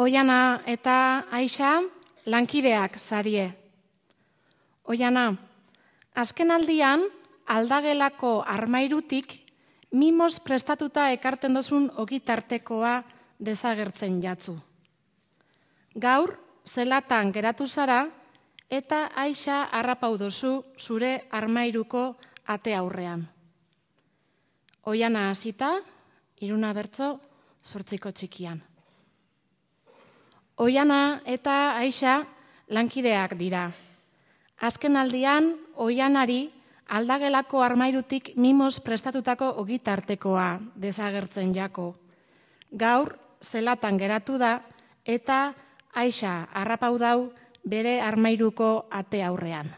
Oiana eta Aixa lankideak zarie. Oiana, azken aldian aldagelako armairutik mimoz prestatuta ekarten dozun ogitartekoa desagertzen jatzu. Gaur, zelatan geratu zara eta Aixa harrapau dozu zure armairuko ate aurrean. Oiana hasita, Iruna bertso, 8 txikian. Oiana eta Aixa lankideak dira. Azken aldian, Oianari aldagelako armairutik mimoz prestatutako ogitartekoa desagertzen jako. Gaur, zelatan geratu da eta Aixa harrapau dau bere armairuko ate aurrean.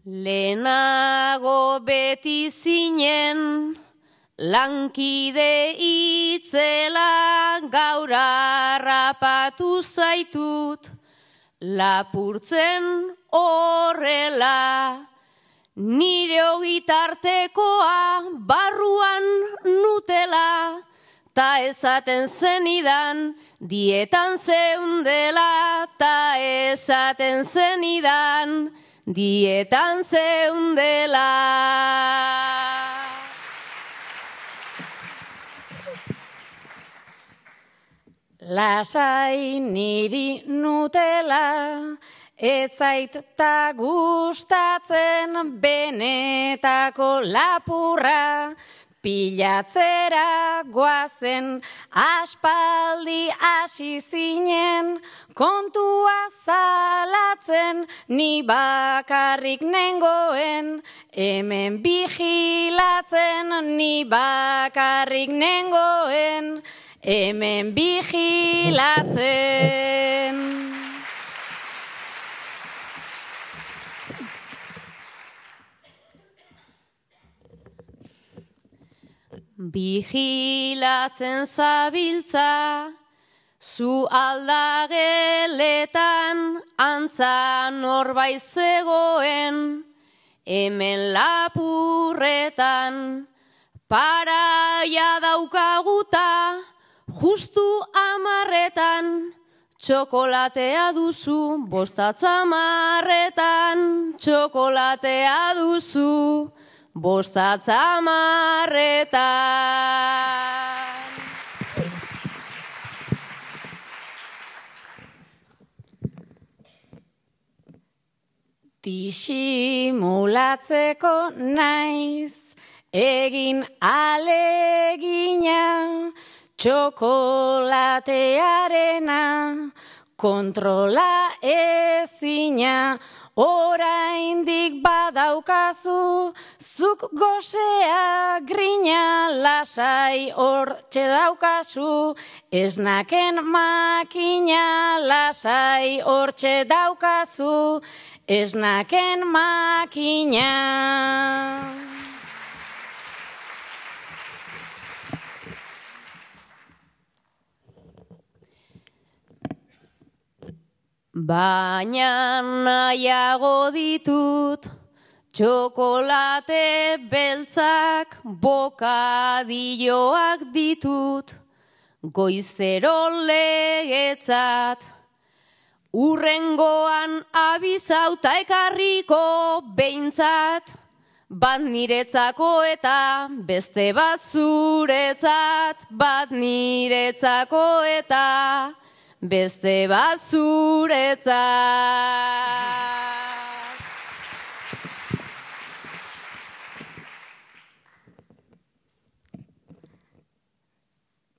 Lehenago beti zinen, lankide itzela, gaur harrapatu zaitut, lapurtzen horrela. Nire ogitartekoa barruan nutela, ta esaten zenidan dietan zeundela, ta esaten zenidan dietan zeundela. Lasai niri nutela, ez zait ta gustatzen benetako lapurra, pilatzera goazen aspaldi hasi zinen, kontua zalatzen ni bakarrik nengoen, hemen bigilatzen ni bakarrik nengoen, hemen bigilatzen. Bigilatzen zabiltza, zu aldageletan antza norbait zegoen, hemen lapurretan paraia daukaguta, justu 10etan, txokolatea duzu, bostatza 10etan, txokolatea duzu, bostatza 10etan. Disimulatzeko naiz, egin alegina, txokolatearena, kontrola ezina, oraindik badaukazu, zuk gosea grina, lasai hortxe daukazu, esnaken makina, lasai hortxe daukazu, esnaken makina. Baina nahiago ditut, txokolate beltzak, bokadilloak ditut, goizero legetzat. Urrengoan abizauta ekarriko behintzat, bat niretzako eta beste bat zuretzat, bat niretzako eta beste bat zuretzat.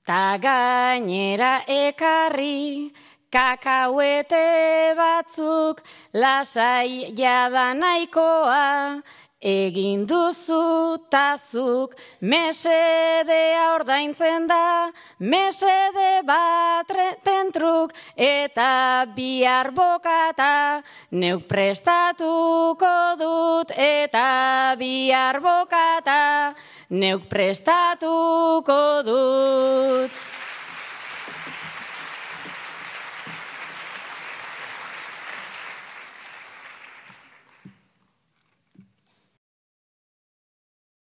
Ta gainera ekarri, kakauete batzuk, lasai jada nahikoa, egin duzu tazuk, mesedea ordaintzen da, mesede bat tentruk, eta bihar bokata, neuk prestatuko dut, eta bihar bokata, neuk prestatuko dut.